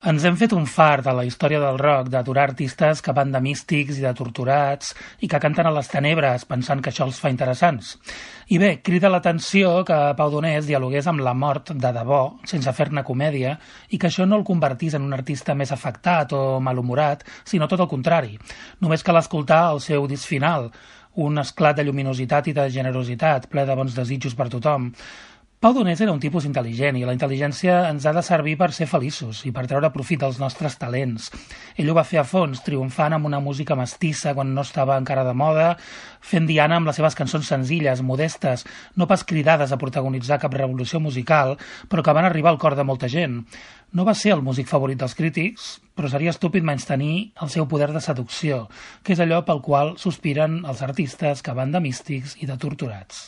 Ens hem fet un fart a la història del rock d'aturar artistes que van de místics i de torturats i que canten a les tenebres pensant que això els fa interessants. I bé, crida l'atenció que Pau Donés dialogués amb la mort de debò, sense fer-ne comèdia, i que això no el convertís en un artista més afectat o malhumorat, sinó tot el contrari. Només cal escoltar el seu disc final, un esclat de lluminositat i de generositat, ple de bons desitjos per tothom. Pau Donés era un tipus intel·ligent i la intel·ligència ens ha de servir per ser feliços i per treure profit dels nostres talents. Ell ho va fer a fons, triomfant amb una música mestissa quan no estava encara de moda, fent diana amb les seves cançons senzilles, modestes, no pas cridades a protagonitzar cap revolució musical, però que van arribar al cor de molta gent. No va ser el músic favorit dels crítics, però seria estúpid menystenir el seu poder de seducció, que és allò pel qual sospiren els artistes que van de místics i de torturats.